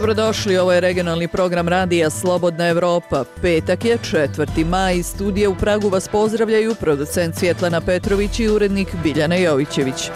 Dobrodošli, ovo je regionalni program radija Slobodna Evropa. Petak je 4. maj, iz studija u Pragu vas pozdravljaju producent Svjetlana Petrović i urednik Biljana Jovićević.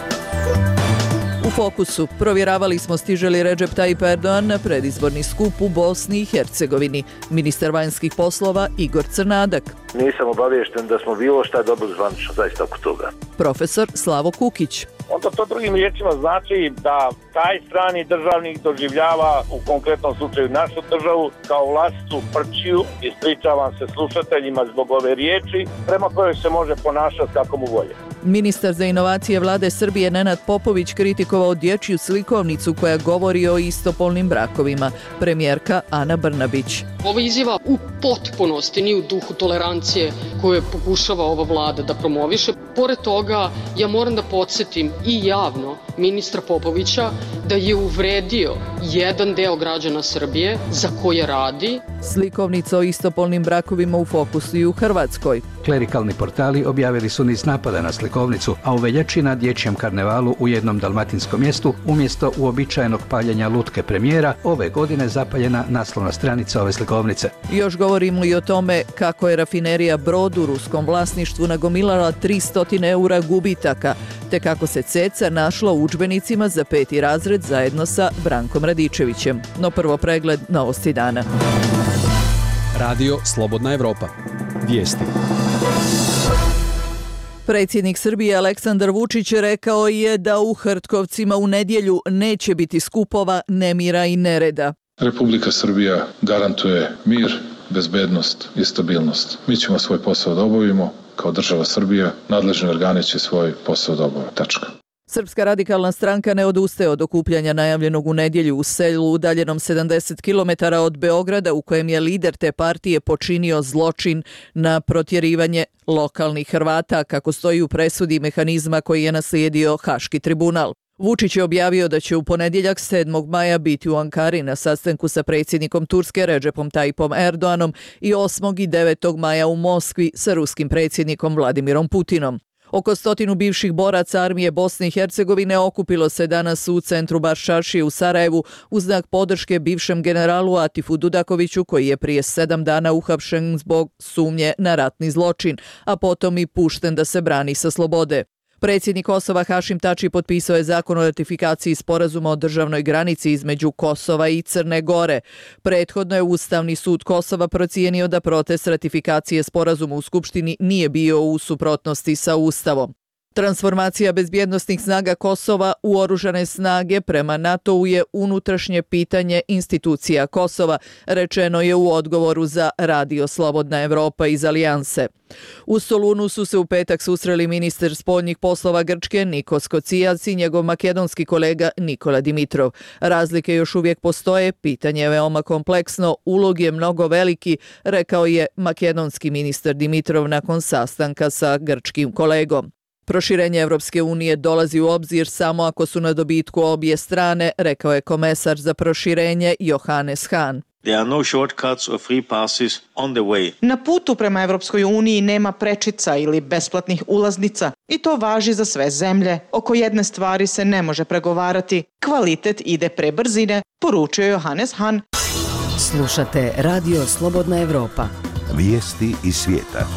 U fokusu provjeravali smo stiže li Recep Tayyip Erdogan na predizborni skup u Bosni i Hercegovini. Ministar vanjskih poslova Igor Crnadak. Nisam obaviješten da smo bilo šta dobili zvanično zaista oko toga. Profesor Slavo Kukić. Onda to drugim riječima znači da taj strani državnik doživljava u konkretnom slučaju našu državu kao vlastitu prćiju, ispričavam se slušateljima zbog ove riječi, prema kojoj se može ponašati kako mu volje. Ministar za inovacije vlade Srbije Nenad Popović kritikovao dječju slikovnicu koja govori o istopolnim brakovima. Premijerka Ana Brnabić. Ova izjava u potpunosti nije u duhu tolerancije koju pokušava ova vlada da promoviše. Pored toga, ja moram da podsjetim i javno ministra Popovića da je uvredio jedan deo građana Srbije za koje radi. Slikovnica o istopolnim brakovima u fokusu i u Hrvatskoj. Klerikalni portali objavili su niz napada na slikovnicu, a u veljači na dječjem karnevalu u jednom dalmatinskom mjestu umjesto uobičajenog paljenja lutke premijera, ove godine zapaljena naslovna stranica ove slikovnice. Još govorimo i o tome kako je rafinerija Brod u ruskom vlasništvu nagomilala 300 eura gubitaka, te kako se ceca našla u udžbenicima za 5. razred zajedno sa Brankom Radičevićem. No prvo pregled novosti dana. Radio Slobodna Evropa. Vijesti. Predsjednik Srbije Aleksandar Vučić rekao je da u Hrtkovcima u nedjelju neće biti skupova, nemira i nereda. Republika Srbija garantuje mir, bezbednost i stabilnost. Mi ćemo svoj posao da obavimo kao država Srbija, nadležni organi će svoj posao da obave. Tačka. Srpska radikalna stranka ne odustaje od okupljanja najavljenog u nedjelju u selu udaljenom 70 km od Beograda, u kojem je lider te partije počinio zločin na protjerivanje lokalnih Hrvata, kako stoji u presudi mehanizma koji je naslijedio Haški tribunal. Vučić je objavio da će u ponedjeljak 7. maja biti u Ankari na sastanku sa predsjednikom Turske Recepom Tayyipom Erdoganom i 8. i 9. maja u Moskvi sa ruskim predsjednikom Vladimirom Putinom. Oko 100 bivših boraca armije Bosne i Hercegovine okupilo se danas u centru Baščaršije u Sarajevu u znak podrške bivšem generalu Atifu Dudakoviću, koji je prije 7 dana uhapšen zbog sumnje na ratni zločin, a potom i pušten da se brani sa slobode. Predsjednik Kosova Hašim Tači potpisao je zakon o ratifikaciji sporazuma o državnoj granici između Kosova i Crne Gore. Prethodno je Ustavni sud Kosova procijenio da protest ratifikacije sporazuma u Skupštini nije bio u suprotnosti sa Ustavom. Transformacija bezbjednosnih snaga Kosova u oružane snage prema NATO-u je unutrašnje pitanje institucija Kosova, rečeno je u odgovoru za Radio Slobodna Evropa iz Alijanse. U Solunu su se u petak susreli ministar spoljnih poslova Grčke Nikos Kocijac i njegov makedonski kolega Nikola Dimitrov. Razlike još uvijek postoje, pitanje je veoma kompleksno, ulog je mnogo veliki, rekao je makedonski ministar Dimitrov nakon sastanka sa grčkim kolegom. Proširenje Evropske unije dolazi u obzir samo ako su na dobitku obje strane, rekao je komesar za proširenje Johannes Hahn. Na putu prema Evropskoj uniji nema prečica ili besplatnih ulaznica i to važi za sve zemlje. Oko jedne stvari se ne može pregovarati. Kvalitet ide pre brzine, poručio Johannes Hahn. Slušate Radio Slobodna Evropa. Vijesti iz svijeta.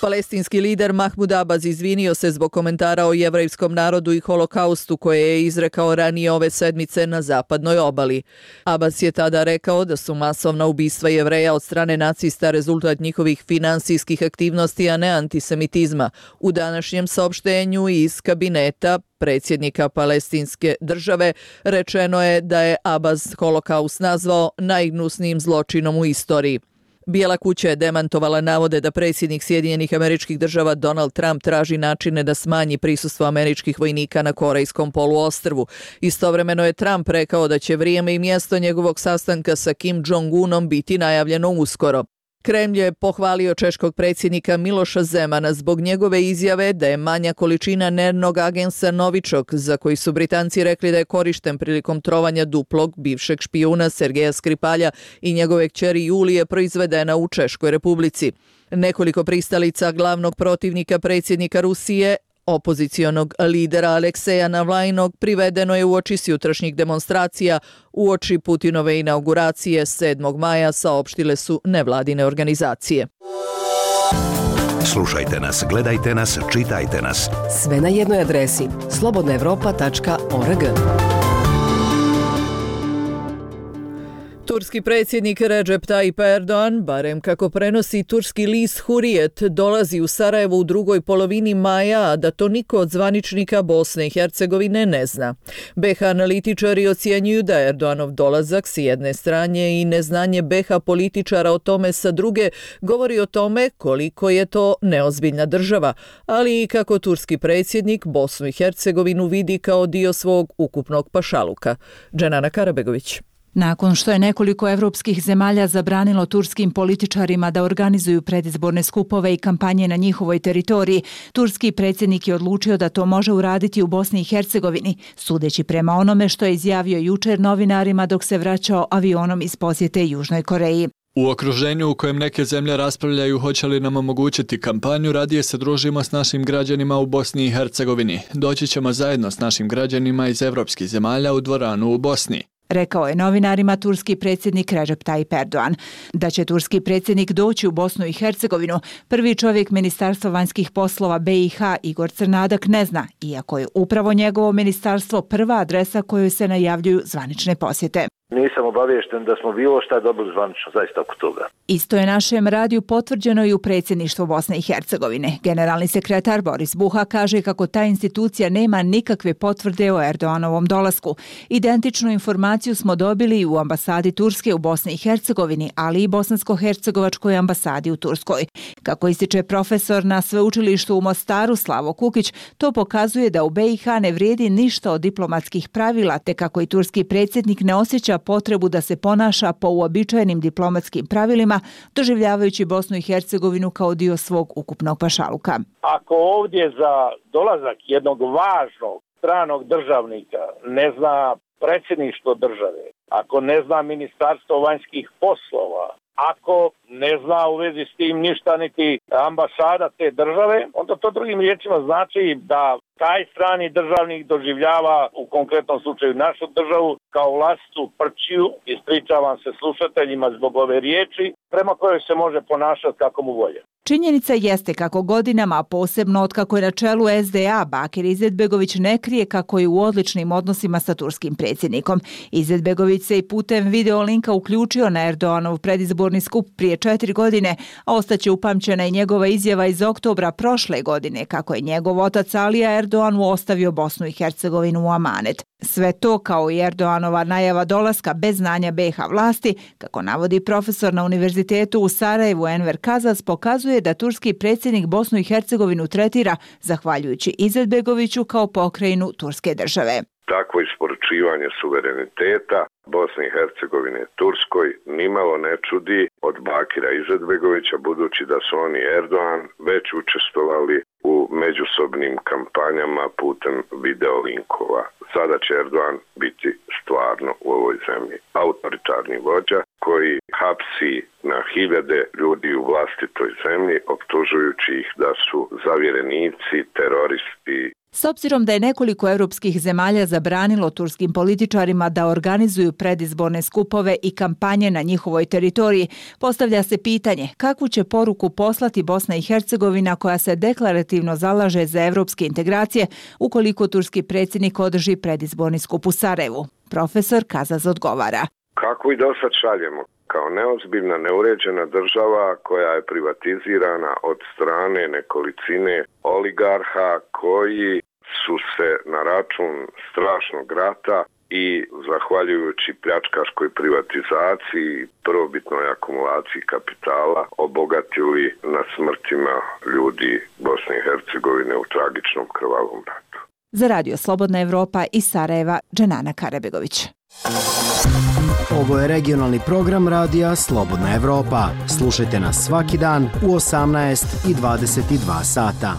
Palestinski lider Mahmud Abbas izvinio se zbog komentara o jevrejskom narodu i holokaustu koje je izrekao ranije ove sedmice na zapadnoj obali. Abbas je tada rekao da su masovna ubistva Jevreja od strane nacista rezultat njihovih finansijskih aktivnosti, a ne antisemitizma. U današnjem saopštenju iz kabineta predsjednika Palestinske države rečeno je da je Abbas holokaust nazvao najgnusnijim zločinom u istoriji. Bijela kuća je demantovala navode da predsjednik Sjedinjenih Američkih Država Donald Trump traži načine da smanji prisustvo američkih vojnika na Korejskom poluostrvu. Istovremeno je Trump rekao da će vrijeme i mjesto njegovog sastanka sa Kim Jong-unom biti najavljeno uskoro. Kremlj je pohvalio češkog predsjednika Miloša Zemana zbog njegove izjave da je manja količina nervnog agensa Novičok, za koji su Britanci rekli da je korišten prilikom trovanja duplog bivšeg špijuna Sergeja Skripalja i njegove kćeri Julije, proizvedena u Češkoj Republici. Nekoliko pristalica glavnog protivnika predsjednika Rusije Opozicionog lidera Alekseja Navlajnog privedeno je uoči jutrašnjih demonstracija, uoči Putinove inauguracije 7. maja, saopštile su nevladine organizacije. Slušajte nas, gledajte nas, čitajte nas. Sve na jednoj adresi slobodnaevropa.org. Turski predsjednik Recep Tayyip Erdogan, barem kako prenosi turski list Hurriyet, dolazi u Sarajevo u drugoj polovini maja, a da to niko od zvaničnika Bosne i Hercegovine ne zna. BiH analitičari ocjenjuju da Erdoganov dolazak s jedne strane i neznanje BiH političara o tome sa druge govori o tome koliko je to neozbiljna država, ali i kako turski predsjednik Bosnu i Hercegovinu vidi kao dio svog ukupnog pašaluka. Dženana Karabegović. Nakon što je nekoliko evropskih zemalja zabranilo turskim političarima da organizuju predizborne skupove i kampanje na njihovoj teritoriji, turski predsjednik je odlučio da to može uraditi u Bosni i Hercegovini, sudeći prema onome što je izjavio jučer novinarima dok se vraćao avionom iz posjete Južnoj Koreji. U okruženju u kojem neke zemlje raspravljaju hoće li nam omogućiti kampanju, radije se družimo s našim građanima u Bosni i Hercegovini. Doći ćemo zajedno s našim građanima iz evropskih zemalja u dvoranu u Bosni, rekao je novinarima turski predsjednik Recep Tayyip Erdogan. Da će turski predsjednik doći u Bosnu i Hercegovinu, prvi čovjek Ministarstva vanjskih poslova BiH Igor Crnadak ne zna, iako je upravo njegovo ministarstvo prva adresa kojoj se najavljuju zvanične posjete. Nisam obaviješten da smo bilo šta dobili zvanično, zaista oko toga. Isto je našem radiju potvrđeno i u predsjedništvu Bosne i Hercegovine. Generalni sekretar Boris Buha kaže kako ta institucija nema nikakve potvrde o Erdoganovom dolasku. Identičnu informaciju smo dobili i u ambasadi Turske u Bosni i Hercegovini, ali i bosansko-hercegovačkoj ambasadi u Turskoj. Kako ističe profesor na sveučilištu u Mostaru Slavo Kukić, to pokazuje da u BiH ne vrijedi ništa od diplomatskih pravila, te kako i turski predsjednik ne osjeća potrebu da se ponaša po uobičajenim diplomatskim pravilima, doživljavajući Bosnu i Hercegovinu kao dio svog ukupnog pašaluka. Ako ovdje za dolazak jednog važnog stranog državnika ne zna predsjedništvo države, ako ne zna Ministarstvo vanjskih poslova, ako ne zna u vezi s tim ništa niti ambasada te države, onda to drugim riječima znači da taj strani državnik doživljava u konkretnom slučaju našu državu kao vlastitu prčiju, ispričavam se slušateljima zbog ove riječi, prema kojoj se može ponašati kako mu volje. Činjenica jeste kako godinama, a posebno od kako je na čelu SDA, Bakir Izetbegović ne krije kako je u odličnim odnosima sa turskim predsjednikom. Izetbegović se i putem video linka uključio na Erdoganov predizborni skup prije 4 godine, a ostaće upamćena i njegova izjava iz oktobra prošle godine kako je njegov otac Alija Erdoganu ostavio Bosnu i Hercegovinu u amanet. Sve to kao i Erdoganova najava dolaska bez znanja BiH vlasti, kako navodi profesor na Univerzitetu u Sarajevu Enver Kazas, pokazuje da turski predsjednik Bosnu i Hercegovinu tretira, zahvaljujući Izetbegoviću, kao pokrajinu turske države. Takvo isporučivanje suvereniteta Bosne i Hercegovine Turskoj nimalo ne čudi od Bakira Izetbegovića, budući da su oni Erdogan već učestvovali u međusobnim kampanjama putem videolinkova. Sada će Erdogan biti stvarno u ovoj zemlji autoritarni vođa koji hapsi na hiljade ljudi u vlastitoj zemlji, optužujući ih da su zavjerenici, teroristi. S obzirom da je nekoliko europskih zemalja zabranilo turskim političarima da organizuju predizborne skupove i kampanje na njihovoj teritoriji, postavlja se pitanje kakvu će poruku poslati Bosna i Hercegovina, koja se deklarativno zalaže za evropske integracije, ukoliko turski predsjednik održi predizborni skup u Sarajevu. Profesor Kazaz odgovara. Kako i dosad šaljemo? Kao neozbiljna, neuređena država koja je privatizirana od strane nekolicine oligarha koji su se na račun strašnog rata i zahvaljujući pljačkaškoj privatizaciji, prvobitnoj akumulaciji kapitala, obogatili na smrtima ljudi Bosne i Hercegovine u tragičnom krvavom ratu. Za Radio Slobodna Evropa iz Sarajeva, Dženana Karabegović. Ovo je regionalni program radija Slobodna Evropa. Slušajte nas svaki dan u 18 i 22 sata.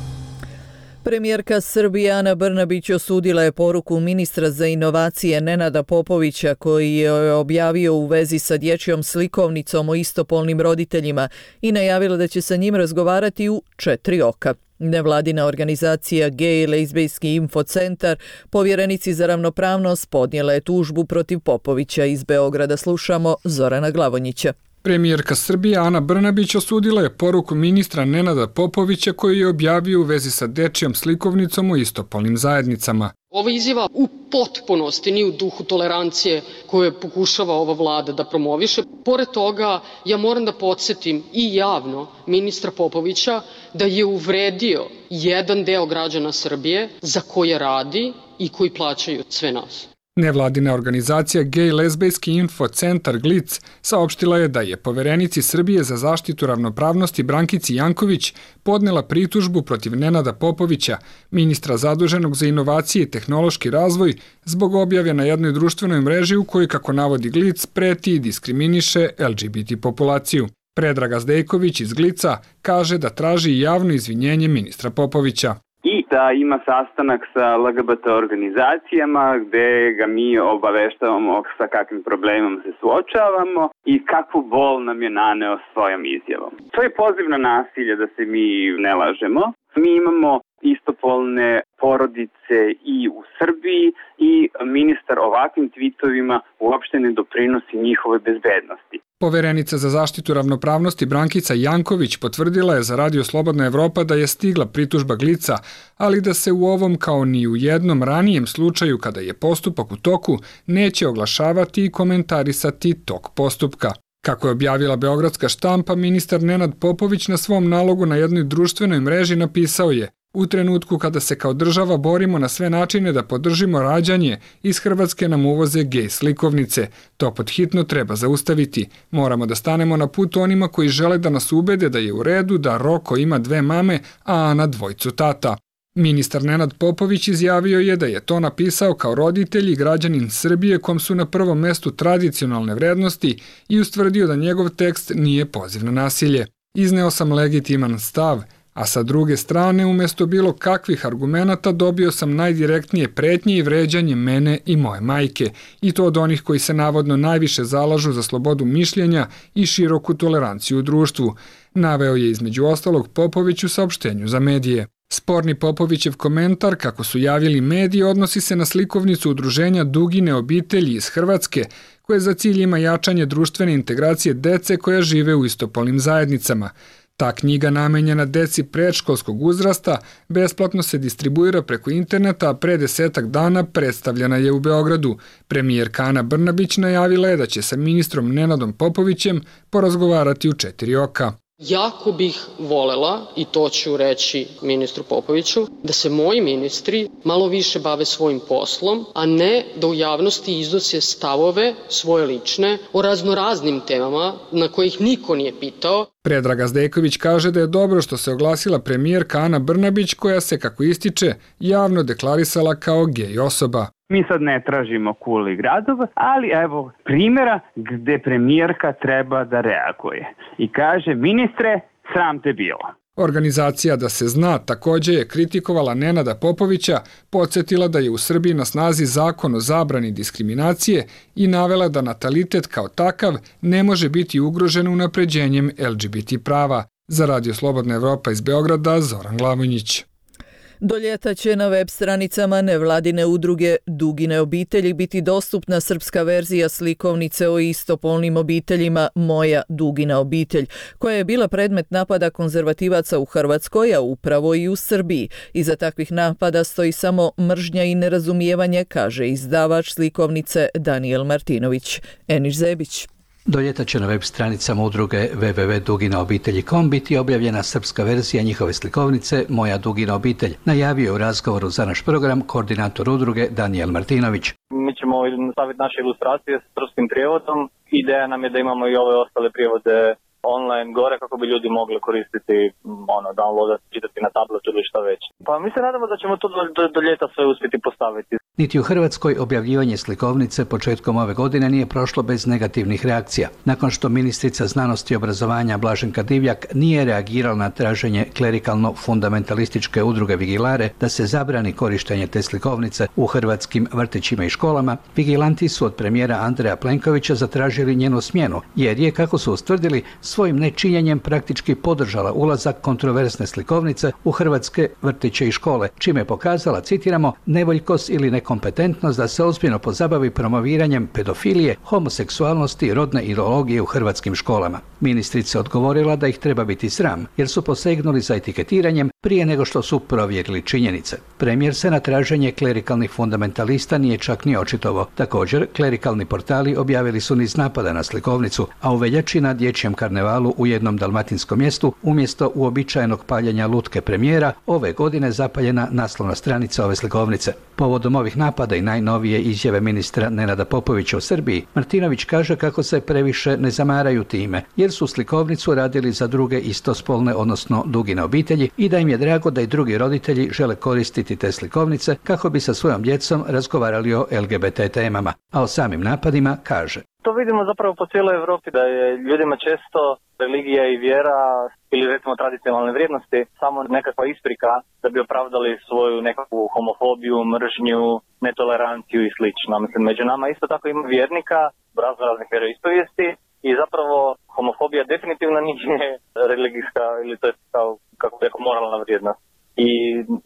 Premijerka Srbije Ana Brnabić osudila je poruku ministra za inovacije Nenada Popovića, koji je objavio u vezi sa dječjom slikovnicom o istopolnim roditeljima i najavila da će sa njim razgovarati u 4 oka. Nevladina organizacija Gej lezbijski infocentar povjerenici za ravnopravnost podnijela je tužbu protiv Popovića iz Beograda. Slušamo Zorana Glavonjića. Premijerka Srbije Ana Brnabić osudila je poruku ministra Nenada Popovića koju je objavio u vezi sa dečijom slikovnicom u istopolnim zajednicama. Ova izjava u potpunosti nije u duhu tolerancije koje pokušava ova vlada da promoviše. Pored toga, ja moram da podsjetim i javno ministra Popovića da je uvredio jedan deo građana Srbije za koje radi i koji plaćaju sve nas. Nevladina organizacija Gej lezbijski infocentar GLIC saopštila je da je poverenici Srbije za zaštitu ravnopravnosti Brankici Janković podnela pritužbu protiv Nenada Popovića, ministra zaduženog za inovacije i tehnološki razvoj, zbog objave na jednoj društvenoj mreži u kojoj, kako navodi GLIC, preti i diskriminiše LGBT populaciju. Predraga Zdejković iz GLIC-a kaže da traži javno izvinjenje ministra Popovića. I da ima sastanak sa LGBT organizacijama gde ga mi obaveštavamo sa kakvim problemom se suočavamo i kakvu bol nam je naneo svojom izjavom. To je poziv na nasilje, da se mi ne lažemo. Mi imamo istopolne porodice i u Srbiji i ministar ovakvim tvitovima uopšte ne doprinosi njihove bezbednosti. Poverenica za zaštitu ravnopravnosti Brankica Janković potvrdila je za Radio Slobodna Evropa da je stigla pritužba GLIC-a, ali da se u ovom kao ni u jednom ranijem slučaju kada je postupak u toku neće oglašavati i komentarisati tok postupka. Kako je objavila beogradska štampa, ministar Nenad Popović na svom nalogu na jednoj društvenoj mreži napisao je: u trenutku kada se kao država borimo na sve načine da podržimo rađanje, iz Hrvatske nam uvoze gej slikovnice. To pod hitno treba zaustaviti. Moramo da stanemo na put onima koji žele da nas ubede da je u redu da Roko ima 2 mame, a Ana 2 tata. Ministar Nenad Popović izjavio je da je to napisao kao roditelj i građanin Srbije kom su na prvom mestu tradicionalne vrednosti i ustvrdio da njegov tekst nije poziv na nasilje. Izneo sam legitiman stav, a sa druge strane, umjesto bilo kakvih argumenata, dobio sam najdirektnije pretnje i vređanje mene i moje majke, i to od onih koji se navodno najviše zalažu za slobodu mišljenja i široku toleranciju u društvu, naveo je između ostalog Popović u saopštenju za medije. Sporni Popovićev komentar, kako su javili mediji, odnosi se na slikovnicu udruženja Dugine obitelji iz Hrvatske, koje za cilj ima jačanje društvene integracije dece koja žive u istopolnim zajednicama. Ta knjiga namenjena deci predškolskog uzrasta besplatno se distribuira preko interneta, a pre 10 dana predstavljena je u Beogradu. Premijerka Ana Brnabić najavila je da će sa ministrom Nenadom Popovićem porazgovarati u 4 oka. Jako bih volela, i to ću reći ministru Popoviću, da se moji ministri malo više bave svojim poslom, a ne da u javnosti iznose stavove svoje lične o raznoraznim temama na kojih niko nije pitao. Predraga Zdejković kaže da je dobro što se oglasila premijerka Ana Brnabić, koja se, kako ističe, javno deklarisala kao gej osoba. Mi sad ne tražimo kuli gradova, ali evo primjera gde premijerka treba da reaguje i kaže: ministre, sram te bilo. Organizacija Da se zna također je kritikovala Nenada Popovića, podsjetila da je u Srbiji na snazi zakon o zabrani diskriminacije i navela da natalitet kao takav ne može biti ugrožen unapređenjem LGBT prava. Za Radio Slobodna Evropa iz Beograda, Zoran Glavonjić. Do ljeta će na web stranicama nevladine udruge Dugine obitelji biti dostupna srpska verzija slikovnice o istopolnim obiteljima Moja Dugina obitelj, koja je bila predmet napada konzervativaca u Hrvatskoj, a upravo i u Srbiji. Iza takvih napada stoji samo mržnja i nerazumijevanje, kaže izdavač slikovnice Daniel Martinović. Eniš Zebić. Do ljeta će na web stranicama udruge www.duginaobitelji.com biti objavljena srpska verzija njihove slikovnice Moja Dugina obitelj, najavio je u razgovoru za naš program koordinator udruge Daniel Martinović. Mi ćemo staviti naše ilustracije s srpskim prijevodom. Ideja nam je da imamo i ove ostale prijevode online gore kako bi ljudi mogli koristiti, downloadati, čitati na tabletu ili šta već. Pa mi se nadamo da ćemo to do ljeta sve uspjeti postaviti. Niti u Hrvatskoj objavljivanje slikovnice početkom ove godine nije prošlo bez negativnih reakcija. Nakon što ministrica znanosti i obrazovanja Blaženka Divjak nije reagirala na traženje klerikalno-fundamentalističke udruge Vigilare da se zabrani korištenje te slikovnice u hrvatskim vrtićima i školama, vigilanti su od premijera Andreja Plenkovića zatražili njenu smjenu, jer je, kako su ustvrdili, svojim nečinjenjem praktički podržala ulazak kontroverzne slikovnice u hrvatske vrtiće i škole, čime je pokazala, citiramo, nevoljkost ili nekompetentnost da se ozbiljno pozabavi promoviranjem pedofilije, homoseksualnosti i rodne ideologije u hrvatskim školama. Ministrica odgovorila da ih treba biti sram, jer su posegnuli za etiketiranjem prije nego što su provjerili činjenice. Premijer se na traženje klerikalnih fundamentalista nije čak ni očitovao. Također, klerikalni portali objavili su niz napada na slikovnicu, a u veljači na dječjem karnevalu u jednom dalmatinskom mjestu, umjesto uobičajenog paljenja lutke premijera, ove godine zapaljena naslovna stranica ove slikovnice. Povodom ovih napada i najnovije izjave ministra Nenada Popovića u Srbiji, Martinović kaže kako se previše ne zamaraju time, jer su slikovnicu radili za druge istospolne, odnosno dugine obitelji, i da im je drago da i drugi roditelji žele koristiti te slikovnice kako bi sa svojom djecom razgovarali o LGBT temama. A o samim napadima kaže: To vidimo zapravo po cijeloj Europi, da je ljudima često religija i vjera ili recimo tradicionalne vrijednosti samo nekakva isprika da bi opravdali svoju nekakvu homofobiju, mržnju, netoleranciju i slično. Mislim, među nama isto tako ima vjernika raznih vjeroispovijesti i zapravo homofobija definitivno nije religijska ili to je kao, kako bi rekao, moralna vrijednost. I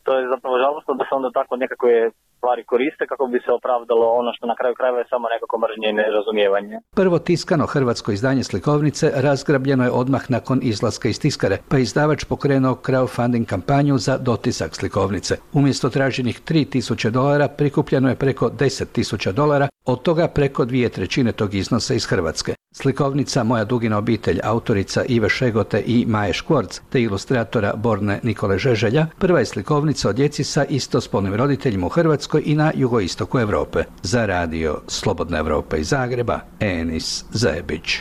to je zapravo žalostno da se onda tako nekakve stvari koriste kako bi se opravdalo ono što na kraju krajeva je samo nekako mržnje i nerazumijevanje. Prvo tiskano hrvatsko izdanje slikovnice razgrabljeno je odmah nakon izlaska iz tiskare, pa je izdavač pokrenuo crowdfunding kampanju za dotisak slikovnice. Umjesto traženih $3.000 prikupljeno je preko $10.000, od toga preko 2/3 tog iznosa iz Hrvatske. Slikovnica Moja dugina obitelj autorica Ive Šegote i Maje Škvorc te ilustratora Borne Nikole Žeželja prva je slikovnica o djeci sa istospolnim roditeljima u Hrvatskoj i na jugoistoku Europe. Za radio Slobodna Evropa iz Zagreba, Enis Zebić.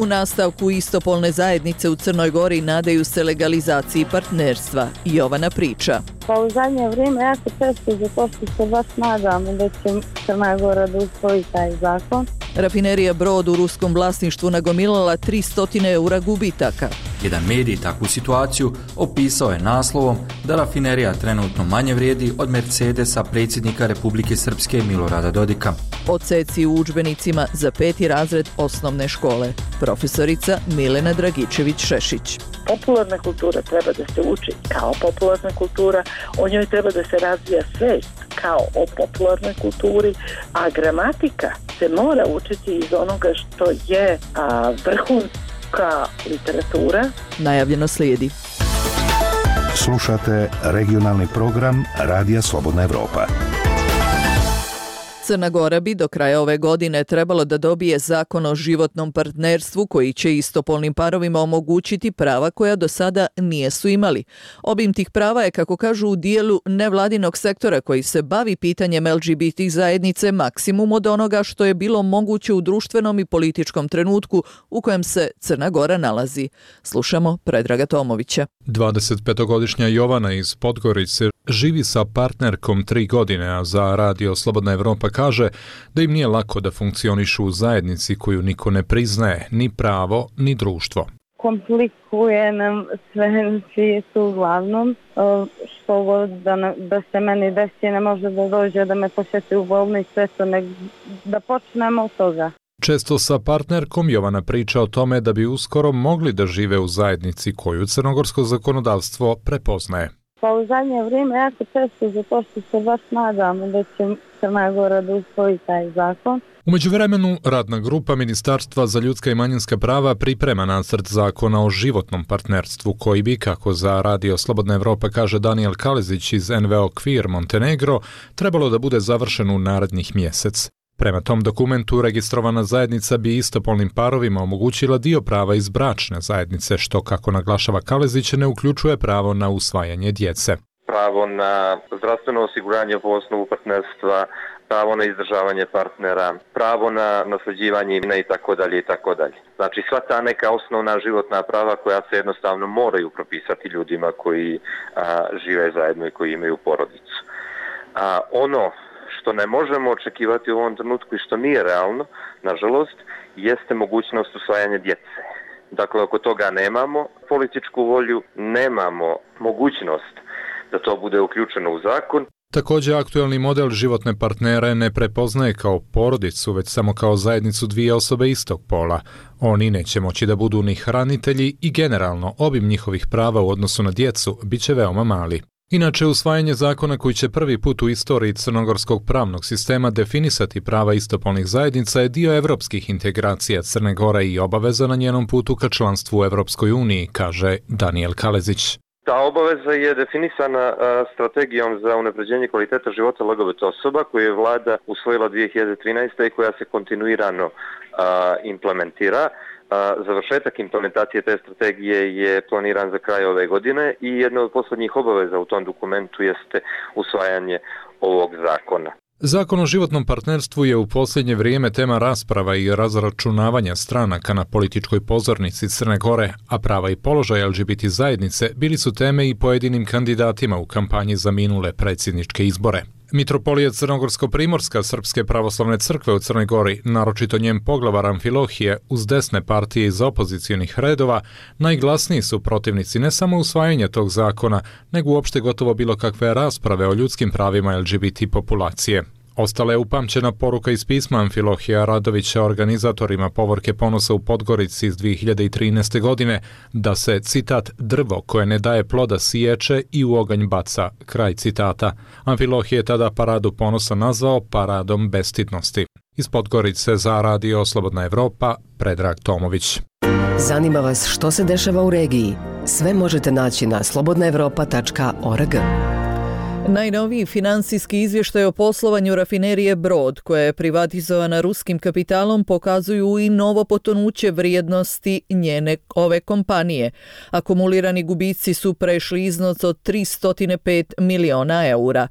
U nastavku istopolne zajednice u Crnoj Gori nadaju se legalizaciji partnerstva. Jovana priča. Pa u zadnje vrijeme jako često zato što se baš nadamo da će Crna Gora da usvoji taj zakon. Rafinerija Brod u ruskom vlasništvu nagomilala 300 eura gubitaka. Jedan medij takvu situaciju opisao je naslovom da rafinerija trenutno manje vrijedi od Mercedesa predsjednika Republike Srpske Milorada Dodika. Odseci u udžbenicima za 5. razred osnovne škole. Profesorica Milena Dragičević-Šešić. Popularna kultura treba da se uči kao popularna kultura, o njoj treba da se razvija svijest kao o popularnoj kulturi, a gramatika se mora učiti iz onoga što je vrhunska literatura. Najavljeno slijedi. Slušate regionalni program Radija Slobodna Evropa. Crna Gora bi do kraja ove godine trebalo da dobije zakon o životnom partnerstvu koji će istopolnim parovima omogućiti prava koja do sada nijesu imali. Obim tih prava je, kako kažu, u dijelu nevladinog sektora koji se bavi pitanjem LGBT zajednice maksimum od onoga što je bilo moguće u društvenom i političkom trenutku u kojem se Crna Gora nalazi. Slušamo Predraga Tomovića. 25-godišnja Jovana iz Podgorice živi sa partnerkom 3 godine, a za Radio Slobodna Evropa kaže da im nije lako da funkcionišu u zajednici koju niko ne priznaje, ni pravo, ni društvo. Komplikuje nam sve na svijetu uglavnom, što god da se meni desi, ne može da dođe da me posjeti u bolnicu, da počnemo od toga. Često sa partnerkom Jovana priča o tome da bi uskoro mogli da žive u zajednici koju crnogorsko zakonodavstvo prepoznaje. Pa u zadnje vrijeme jako često zato što se baš nadamo da će Crna Gora da usvoji taj zakon. U međuvremenu, radna grupa Ministarstva za ljudska i manjinska prava priprema nacrt zakona o životnom partnerstvu koji bi, kako za Radio Slobodna Evropa kaže Daniel Kalezić iz NVO Queer Montenegro, trebalo da bude završen u narednih mjesec. Prema tom dokumentu registrovana zajednica bi istopolnim parovima omogućila dio prava iz bračne zajednice, što, kako naglašava Kalezić, ne uključuje pravo na usvajanje djece. Pravo na zdravstveno osiguranje po osnovu partnerstva, pravo na izdržavanje partnera, pravo na nasljeđivanje imena i tako dalje i tako dalje. Znači sva ta neka osnovna životna prava koja se jednostavno moraju propisati ljudima koji žive zajedno i koji imaju porodicu. Ono što ne možemo očekivati u ovom trenutku i što nije realno, nažalost, jeste mogućnost usvajanja djece. Dakle, ako toga nemamo političku volju, nemamo mogućnost da to bude uključeno u zakon. Također, aktualni model životne partnere ne prepoznaje kao porodicu, već samo kao zajednicu dvije osobe istog pola. Oni neće moći da budu ni hranitelji i generalno obim njihovih prava u odnosu na djecu bit će veoma mali. Inače, usvajanje zakona koji će prvi put u istoriji crnogorskog pravnog sistema definisati prava istopolnih zajednica je dio evropskih integracija Crne Gore i obaveza na njenom putu ka članstvu u Evropskoj uniji, kaže Daniel Kalezić. Ta obaveza je definisana strategijom za unapređenje kvaliteta života LGBT osoba koju je vlada usvojila 2013. i koja se kontinuirano implementira. Završetak implementacije te strategije je planiran za kraj ove godine i jedna od posljednjih obaveza u tom dokumentu jeste usvajanje ovog zakona. Zakon o životnom partnerstvu je u posljednje vrijeme tema rasprava i razračunavanja stranaka na političkoj pozornici Crne Gore, a prava i položaj LGBT zajednice bili su teme i pojedinim kandidatima u kampanji za minule predsjedničke izbore. Mitropolija Crnogorsko-primorska Srpske pravoslavne crkve u Crnoj Gori, naročito njen poglavar Amfilohije, uz desne partije iz opozicijonih redova, najglasniji su protivnici ne samo usvajanja tog zakona, nego uopšte gotovo bilo kakve rasprave o ljudskim pravima LGBT populacije. Ostala je upamćena poruka iz pisma Amfilohija Radovića organizatorima Povorke ponosa u Podgorici iz 2013. godine da se, citat, drvo koje ne daje ploda siječe i u oganj baca, kraj citata. Amfilohije je tada paradu ponosa nazvao paradom bestidnosti. Iz Podgorice za Radio Slobodna Evropa, Predrag Tomović. Zanima vas što se dešava u regiji? Sve možete naći na slobodnaevropa.org. Najnoviji finansijski izvještaj o poslovanju rafinerije Brod, koja je privatizovana ruskim kapitalom, pokazuju i novo potonuće vrijednosti ove kompanije. Akumulirani gubici su prešli iznos od 305 miliona eura.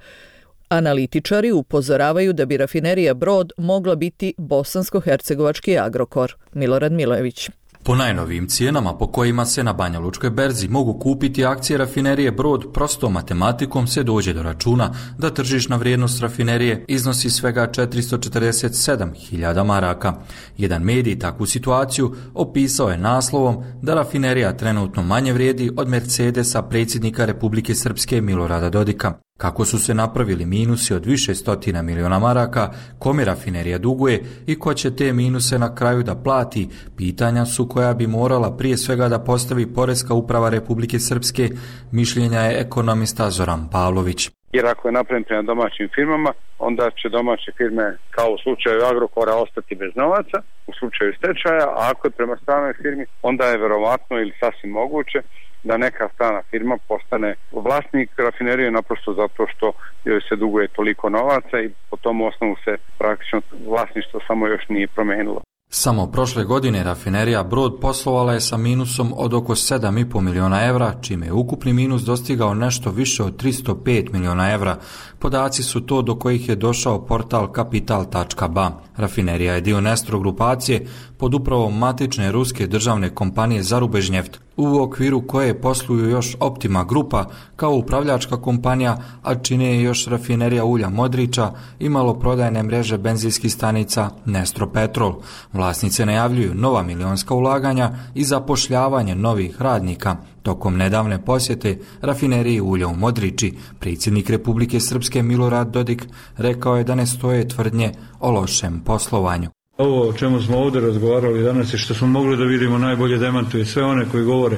Analitičari upozoravaju da bi rafinerija Brod mogla biti bosansko-hercegovački Agrokor. Milorad Milojević. Po najnovijim cijenama po kojima se na Banja Lučkoj berzi mogu kupiti akcije rafinerije Brod, prostom matematikom se dođe do računa da tržišna vrijednost rafinerije iznosi svega 447.000 maraka. Jedan medij takvu situaciju opisao je naslovom da rafinerija trenutno manje vrijedi od Mercedesa predsjednika Republike Srpske Milorada Dodika. Kako su se napravili minusi od više stotina miliona maraka, kome rafinerija duguje i ko će te minuse na kraju da plati, pitanja su koja bi morala prije svega da postavi Poreska uprava Republike Srpske, mišljenja je ekonomista Zoran Pavlović. Jer ako je napravljen prema domaćim firmama, onda će domaće firme, kao u slučaju Agrokora, ostati bez novaca, u slučaju stečaja, a ako je prema stranoj firmi, onda je verovatno ili sasvim moguće da neka strana firma postane vlasnik rafinerije naprosto zato što joj se duguje toliko novaca i po tom osnovu se praktično vlasništvo samo još nije promenilo. Samo prošle godine rafinerija Brod poslovala je sa minusom od oko 7,5 miliona evra, čime je ukupni minus dostigao nešto više od 305 miliona evra. Podaci su to do kojih je došao portal kapital.ba. Rafinerija je dio Nestro grupacije pod upravom matične ruske državne kompanije Zarubežnjeft, u okviru koje posluju još Optima grupa kao upravljačka kompanija, a čine je još rafinerija ulja Modrića i maloprodajne mreže benzinskih stanica Nestro Petrol. Vlasnice najavljuju nova milionska ulaganja i zapošljavanje novih radnika. Tokom nedavne posjete rafineriji ulja u Modrići, predsjednik Republike Srpske Milorad Dodik rekao je da ne stoje tvrdnje o lošem poslovanju. Ovo o čemu smo ovdje razgovarali danas i što smo mogli da vidimo najbolje demantuje sve one koji govore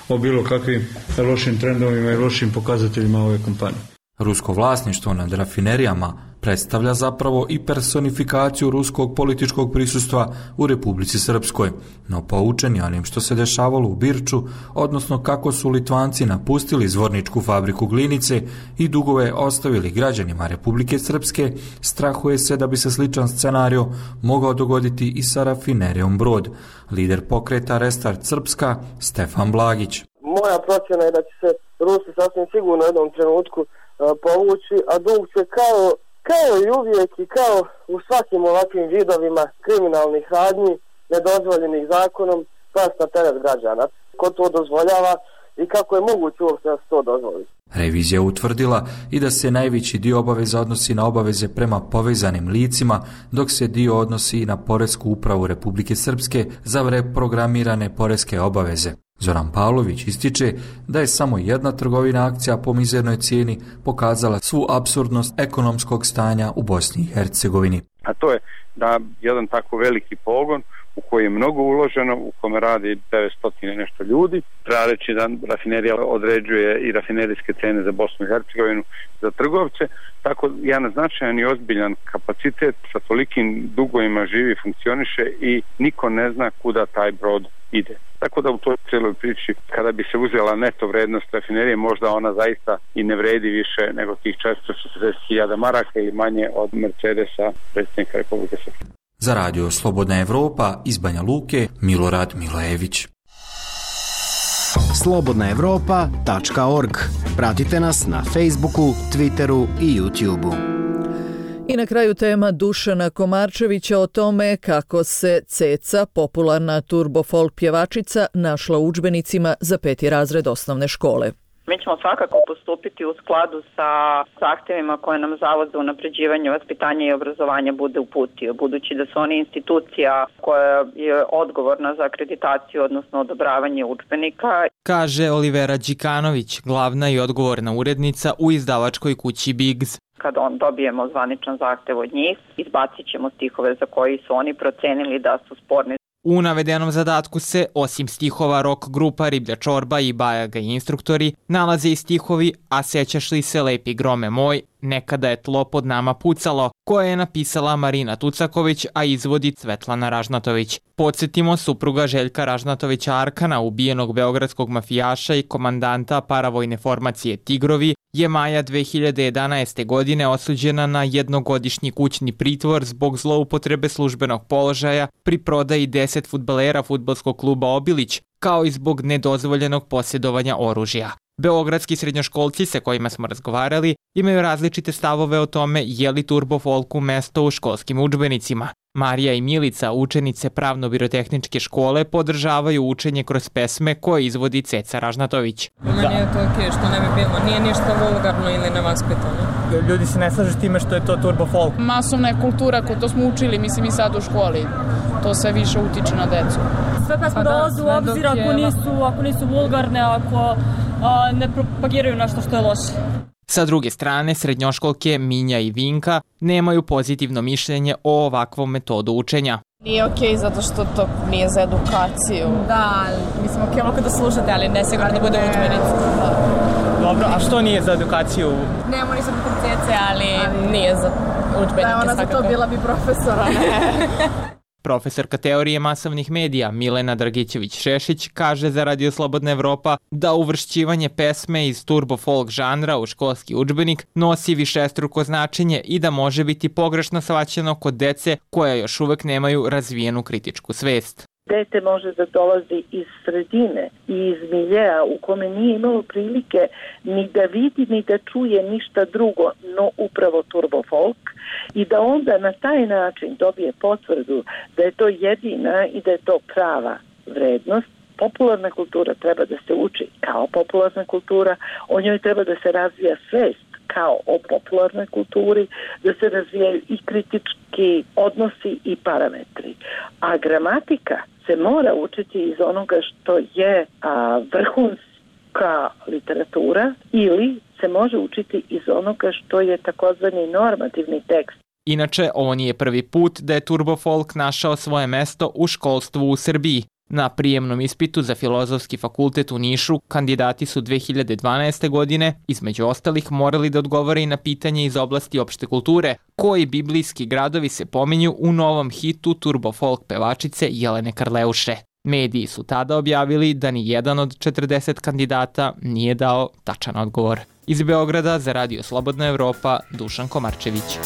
o bilo kakvim lošim trendovima i lošim pokazateljima ove kompanije. Rusko vlasništvo nad rafinerijama predstavlja zapravo i personifikaciju ruskog političkog prisustva u Republici Srpskoj, no poučeni onim što se dešavalo u Birču, odnosno kako su Litvanci napustili zvorničku fabriku glinice i dugove ostavili građanima Republike Srpske, strahuje se da bi se sličan scenario mogao dogoditi i sa rafinerijom Brod. Lider pokreta Restart Srpska, Stefan Blagić. Moja procjena je da će se Rusi sasvim sigurno u jednom trenutku povući, a dug će kao Kao i uvijek i kao u svakim ovakvim vidovima kriminalnih radnji, nedozvoljenih zakonom, past na teret građana. Ko to dozvoljava i kako je moguće uopšte da se to dozvoli? Revizija utvrdila i da se najveći dio obaveza odnosi na obaveze prema povezanim licima, dok se dio odnosi na Poresku upravu Republike Srpske za reprogramirane poreske obaveze. Zoran Pavlović ističe da je samo jedna trgovina akcija po mizernoj cijeni pokazala svu apsurdnost ekonomskog stanja u Bosni i Hercegovini. A to je da jedan tako veliki pogon u koji je mnogo uloženo, u kome radi 900 nešto ljudi. Treba reći da rafinerija određuje i rafinerijske cene za Bosnu i Hercegovinu za trgovce, tako jedan značajan i ozbiljan kapacitet sa tolikim dugovima živi i funkcioniše i niko ne zna kuda taj brod ide. Tako da u toj cijeloj priči, kada bi se uzela neto vrednost rafinerije, možda ona zaista i ne vredi više nego tih 440.000 maraka ili manje od Mercedesa predsjednika Republike Srpske. Za radio Slobodna Evropa iz Banja Luke, Milorad Milojević. slobodnaevropa.org. Pratite nas na Facebooku, Twitteru i YouTubeu. I na kraju tema Dušana Komarčevića o tome kako se Ceca, popularna turbo folk pjevačica, našla u udžbenicima za 5. razred osnovne škole. Mi ćemo svakako postupiti u skladu sa zahtjevima koje nam Zavod za unapređivanje vaspitanja i obrazovanja bude uputio, budući da su oni institucija koja je odgovorna za akreditaciju, odnosno odobravanje udžbenika. Kaže Olivera Đikanović, glavna i odgovorna urednica u izdavačkoj kući Biggs. Kad dobijemo zvaničan zahtjev od njih, izbacit ćemo stihove za koji su oni procenili da su sporni. U navedenom zadatku se, osim stihova rock grupa Riblja čorba i Bajaga i instruktori, nalaze i stihovi A sećaš li se lepi grome moj, Nekada je tlo pod nama pucalo, koje je napisala Marina Tucaković, a izvodi Svetlana Ražnatović. Podsjetimo, supruga Željka Ražnatovića Arkana, ubijenog beogradskog mafijaša i komandanta paravojne formacije Tigrovi, je maja 2011. godine osuđena na jednogodišnji kućni pritvor zbog zloupotrebe službenog položaja pri prodaji 10 fudbalera fudbalskog kluba Obilić, kao i zbog nedozvoljenog posjedovanja oružja. Beogradski srednjoškolci sa kojima smo razgovarali imaju različite stavove o tome je li turbo folku mesto u školskim udžbenicima. Marija i Milica, učenice pravno-birotehničke škole, podržavaju učenje kroz pesme koje izvodi Ceca Ražnatović. Meni je to okej, što ne bi bilo. Nije ništa vulgarno ili nevaspitano. Ljudi se ne slažu s time što je to turbo folk. Masovna je kultura, to smo učili, mislim i sad u školi. To sve više utiče na decu. Sve pesme dolaze u obzir ako nisu vulgarne, ako ne propagiraju nešto što je loše. Sa druge strane, srednjoškolke Minja i Vinka nemaju pozitivno mišljenje o ovakvom metodu učenja. Nije okej zato što to nije za edukaciju. Da, mislim okej mogu da slušate, ali ne sigurno da bude udžbenici. Dobro, a što nije za edukaciju? Nemo nisam koncepcije, ali nije za udžbenike. Da, ona za to bila bi profesora. Profesorka teorije masovnih medija Milena Dragićević-Šešić kaže za Radio Slobodna Evropa da uvršćivanje pesme iz turbo folk žanra u školski udžbenik nosi višestruko značenje i da može biti pogrešno shvaćeno kod dece koja još uvek nemaju razvijenu kritičku svest. Dete može da dolazi iz sredine i iz miljeja u kome nije imalo prilike ni da vidi ni da čuje ništa drugo, no upravo turbo folk, i da onda na taj način dobije potvrdu da je to jedina i da je to prava vrednost. Popularna kultura treba da se uči kao popularna kultura, o njoj treba da se razvija svest kao o popularnoj kulturi, da se razvijaju i kritički odnosi i parametri. A gramatika se mora učiti iz onoga što je vrhunska literatura ili se može učiti iz onoga što je takozvani normativni tekst. Inače, ovo nije prvi put da je turbo folk našao svoje mesto u školstvu u Srbiji. Na prijemnom ispitu za Filozofski fakultet u Nišu kandidati su 2012. godine, između ostalih, morali da odgovore i na pitanje iz oblasti opšte kulture, koji biblijski gradovi se pominju u novom hitu turbo folk pevačice Jelene Karleuše. Mediji su tada objavili da ni jedan od 40 kandidata nije dao tačan odgovor. Iz Beograda za Radio Slobodna Evropa, Dušan Komarčević.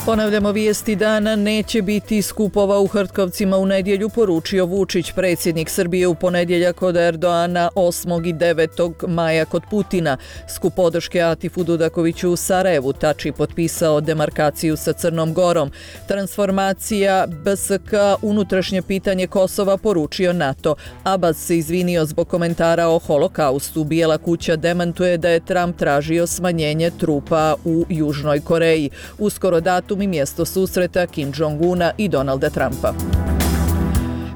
Ponavljamo vijesti dana, neće biti skupova u Hrtkovcima u nedjelju, poručio Vučić. Predsjednik Srbije u ponedjeljak kod Erdoana, 8. i 9. maja kod Putina. Skup podrške Atifu Dudakoviću u Sarajevu. Tači potpisao demarkaciju sa Crnom Gorom. Transformacija BSK, unutrašnje pitanje Kosova, poručio NATO. Abbas se izvinio zbog komentara o holokaustu. Bijela kuća demantuje da je Trump tražio smanjenje trupa u Južnoj Koreji. Uskoro datum i mjesto susreta Kim Jong-una i Donalda Trumpa.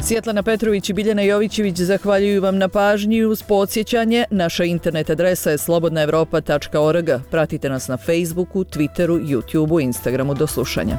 Svjetlana Petrović i Biljana Jovićević zahvaljuju vam na pažnji. Uz podsjećanje, naša internet adresa je slobodnaevropa.org. Pratite nas na Facebooku, Twitteru, YouTubeu, Instagramu. Do slušanja.